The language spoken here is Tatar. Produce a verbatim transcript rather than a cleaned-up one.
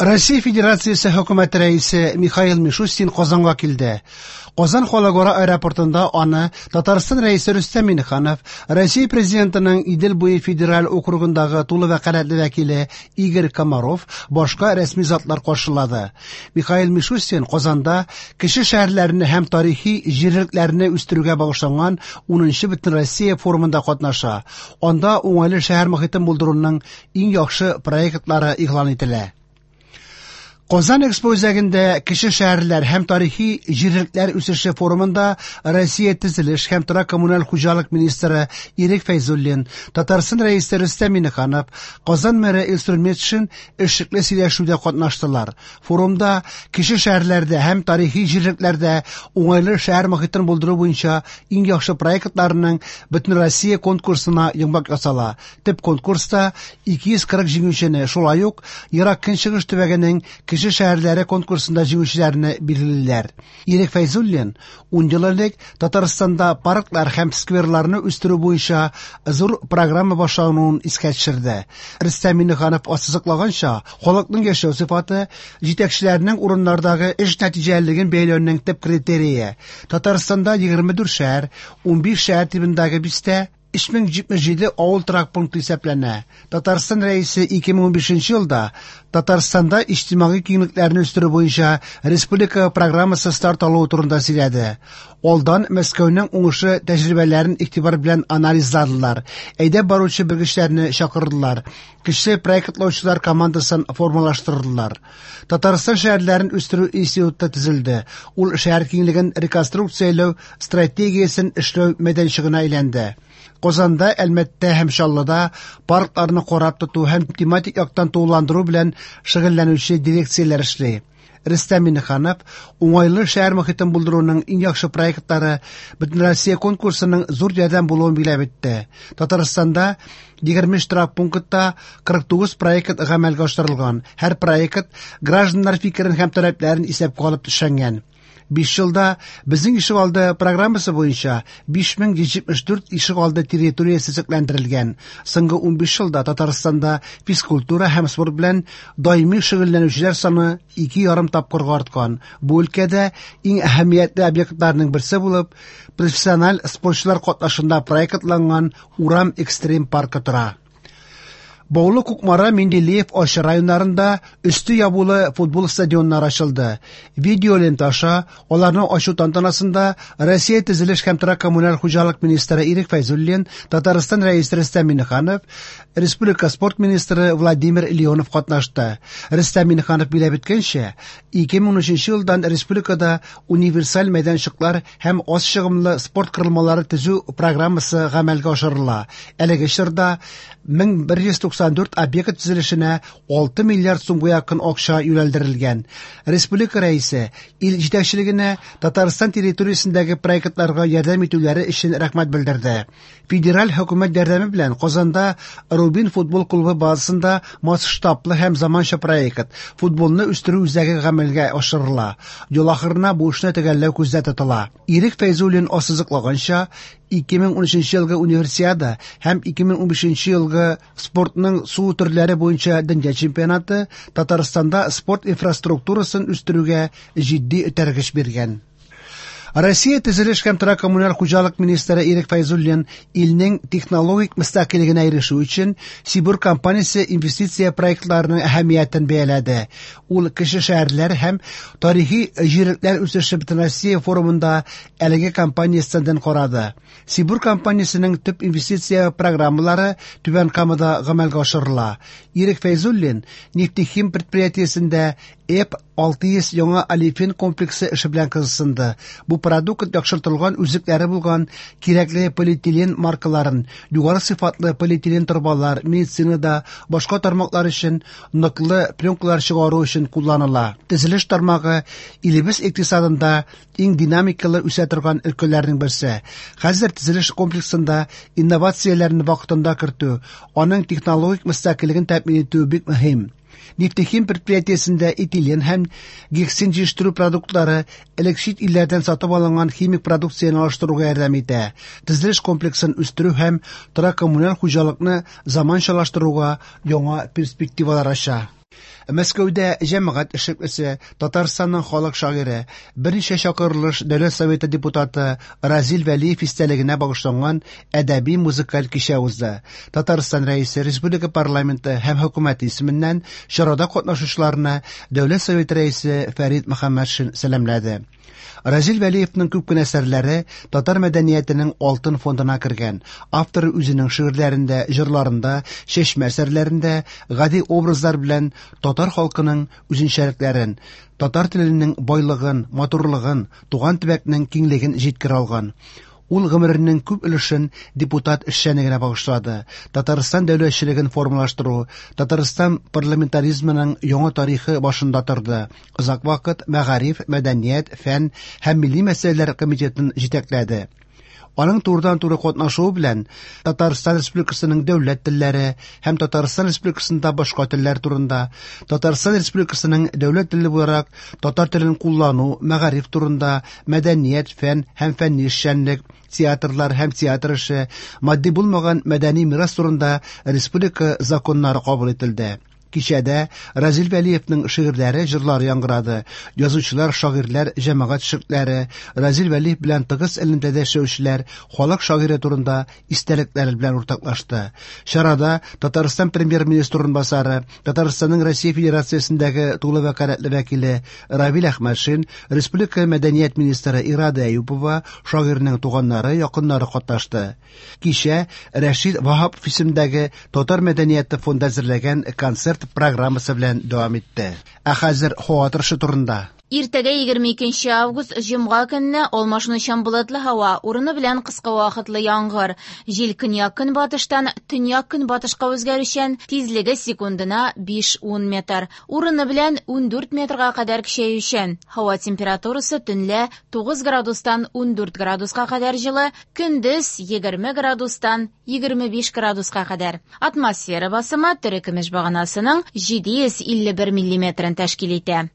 Россия Федерациясе Хөкүмәте Рәисе Михаил Мишустин Казанга килде. Казан халыкара аэропортында аны Татарстан Рәисе Рөстәм Миңнеханов, Россия Президентының Идел буе федераль округындагы тулы вәкаләтле вәкиле Игорь Комаров, башка рәсми затлар каршылады. Михаил Мишустин Казанда кече шәһәрләрне һәм тарихи җирлекләрне үстерүгә багышланган унынчы Бөтенроссия форумында катнаша. Анда уңайлы шәһәр мохитен булдыруның иң яхшы проектлары игълан ителә. Казан Экспо үзәгендә кече шәһәрләр һәм тарихи җирлекләр үсеше форумында Россия төзелеш һәм торак коммуналь хуҗалык министры Ирек Фәйзуллин, Татарстан Рәисе Рөстәм Миңнеханов, Казан мэры Илсур Метшин эшлекле сөйләшүдә катнаштылар. Форумда кече шәһәрләрдә һәм тарихи җирлекләрдә уңайлы шәһәр мохитен булдыру буенча иң яхшы проектларның Бөтенроссия конкурсына йомгак ясала. Төп конкурста ике йөз кырык җиңүчене, шулай ук Ерак Көнчыгыш төбәгенең кече шәһәрләре конкурсында җиңүчеләрне билгелиләр. Ирек Фәйзуллин ун ел элек Татарстанда парклар һәм скверларны үстерү буенча зур программа башлануын искә төшерде. Рөстәм Миңнеханов ассызыклаганча, халыкның яшәү сыйфаты җитәкчеләрнең урыннардагы эш нәтиҗәлелеген бәяләүнең төп критерие. Татарстанда егерме дүрт шәһәр, унбиш шәһәр тибындагы бистә, өч мең җитмеш җиде авыл торак пункты исәпләнә. Татарстан Рәисе ике мең унбишенче елда Татарстанда иҗтимагый киңлекләрне үстерү буенча республика программасы старт алуы турында сөйләде. Алдан Мәскәүнең уңышы тәҗрибәләрен игътибар белән анализладылар. Әйдәп баручы белгечләрне чакырдылар. Кече проектлаучылар командасын формалаштырдылар. Татарстан шәһәрләрен үстерү институты төзелде. Ул шәһәр киңлеген реконструкцияләү стратегиясен эшләү мәйданчыгына әйләнде. Казанда, Әлмәттә һәм Чаллыда паркларны карап тоту һәм тематик яктан тулыландыру белән шөгыльләнүче дирекцияләр эшли. Рөстәм Миңнеханов уңайлы шәһәр мохитен булдыруның иң яхшы проектлары Бөтенроссия конкурсының зур ярдәм булуын билгеләп үтте. Татарстанда егерме өч торак пунктта кырык тугыз проект гамәлгә ашырылган. Һәр проект гражданнар фикерен һәм таләпләрен исәпкә алып төшенгән. Биш елда безнең ишегалды программасы буенча биш мең йөз җитмеш дүрт ишегалды территориясе төзекләндерелгән. Соңгы унбиш елда Татарстанда физкультура һәм спорт белән даими шөгыльләнүчеләр саны ике ярым тапкырга арткан. Бу өлкәдә иң әһәмиятле объектларның берсе булып профессиональ спортчылар катнашында проектланган Урам экстрим паркы тора. Баулы, Кукмара, Менделеев, Арча районнарында өсте ябулы футбол стадионнары ачылды. Видео лента аша аларны ачу тантанасында Россия төзелеш һәм торак коммуналь хуҗалык министры Ирек Фәйзуллин, Татарстан Рәисе Рөстәм Миңнеханов, Республика спорт министры Владимир Леонов катнашты. Рөстәм Миңнеханов билгеләп үткәнчә, ике мең унөченче елдан республикада универсаль мәйданчыклар һәм аз чыгымлы спорт корылмалары төзү программасы гамәлгә ашырыла. Әлеге чорда мең бер йөз туксан дүрт объект төзелешенә алты миллиард сумга якын акча юнәлдерелгән. Республика рәисе ил җитәкчелегенә Татарстан территориясендәге проектларга ярдәм итүләре өчен рәхмәт белдерде. Федераль хөкүмәт ярдәме белән Казанда Рубин футбол клубы базасында масштаблы һәм заманча проект футболны үстерү үзәге гамәлгә ашырыла. Ел ахырына бу эшне төгәлләү күздә тотыла. Ирек Фәйзуллин ассызыклаганча, ике мең унөченче елгы универсиада һәм ике мең унбишенче елгы спортның су төрләре буенча дөнья чемпионаты Татарстанда спорт инфраструктурасын үстерүгә җитди этәргеч биргән. Россия төзелеш һәм торак коммуналь хуҗалык министры Ирек Фәйзуллин илнең технологик мөстәкыйльлегенә ирешү өчен Сибур компаниясе инвестиция проектларының әһәмиятен бәяләде. Ул кече шәһәрләр һәм тарихи җирлекләр үсеше Бөтенроссия форумында әлеге компания стендын карады. Сибур компаниясенең төп инвестиция программалары Түбән Камада гамәлгә ашырыла. Ирек Фәйзуллин Нефтехим предприятиесендә Э П алты йөз яңа олефин комплексы эше белән кызыксынды. Бу продукт яхшыртылган үзлекләре булган кирәкле полиэтилен маркаларын, югары сыйфатлы полиэтилен торбалар, медицинада, башка тармаклар өчен ныклы пленкалар чыгару өчен кулланыла. Төзелеш тармагы илебез икътисадында иң динамикалы үсә торган өлкәләрнең берсе. Хәзер төзелеш комплексында инновацияләрне вакытында кертү, аның технологик мөстәкыйльлеген тәэмин итү бик мөһим. Нефтехим предприятиесендә этилен һәм гексин җитештерү продуктлары элек чит илләрдән сатып алынган химик продукцияне алыштыруга ярдәм итә. Төзелеш комплексын үстерү һәм торак коммуналь хуҗалыкны заманчалаштыруга яңа перспективалар ача. Мәскәүдә җәмәгать эшлеклесе, Татарстанның халык шагыйре, берничә чакырылыш Дәүләт Советы депутаты Разил Вәлиев истәлегенә багышланган әдәби музыкаль кичә узды. Татарстан Рәисе, республика парламенты һәм хөкүмәте исеменнән чарада катнашучыларны Дәүләт Советы Рәисе Фәрит Мөхәммәтшин сәламләде. Разил Вәлиевның күп кенә әсәрләре татар мәдәниятенең алтын фондына кергән. Автор үзенең шигырьләрендә, җырларында, чәчмә әсәрләрендә гади образлар белән татар халкының үзенчәлекләрен, татар теленең байлыгын, матурлыгын, туган төбәкнең киңлеген җиткерә алган. Ул гомеренең күп өлешен депутат эшчәнлегенә багышлады. Татарстан дәүләтчелеген формалаштыру, Татарстан парламентаризмының яңа тарихы башында торды. Озак вакыт мәгариф, мәдәният, фән һәм милли мәсьәләләр комитетын җитәкләде. Аның турыдан-туры катнашуы белән Татарстан Республикасының дәүләт телләре һәм Татарстан Республикасында башка телләр турында, Татарстан Республикасының дәүләт теле буларак татар телен куллану, мәгариф турында, мәдәният, фән һәм фәнни эшчәнлек, театрлар һәм театр эше, матди булмаган мәдәни мирас турында республика законнары кабул ителде. Кичәдә Разил Вәлиевның шигырьләре, җырлары яңгырады. Язучылар, шагыйрьләр, җәмәгать эшлеклеләре, Разил Вәлиев белән тыгыз элемтәдә эшләүчеләр халык шагыйре турында истәлекләре белән уртаклашты. Чарада Татарстан премьер-министры урынбасары, Татарстанның Россия Федерациясендәге тулы вәкаләтле вәкиле Равил Әхмәтшин, республика мәдәният министры Ирада Әюпова, шагыйрьнең туганнары, якыннары катнашты. Кичә Рәшид Ваһапов исемендәге Татар мәдәнияте фонды әзерләгән концерт программасы белән дәвам итте. Ә хәзер һава торышы турында. Иртәгә егерме икенче август җомга көнне алмашынучан болытлы һава, урыны белән кыска вакытлы яңгыр. Җил көньяк-көнбатыштан төньяк-көнбатышка үзгәрүчән, тизлеге секундына биш-ун метр. Урыны белән ундүрт метрга кадәр көчәючән. Һава температурасы төнлә тугыз градустан ундүрт градуска кадәр җылы, көндез егерме градустан егерме биш градуска кадәр. Атмосфера басымы терекөмеш баганасының җиде йөз илле бер миллиметрын тәшкил итә.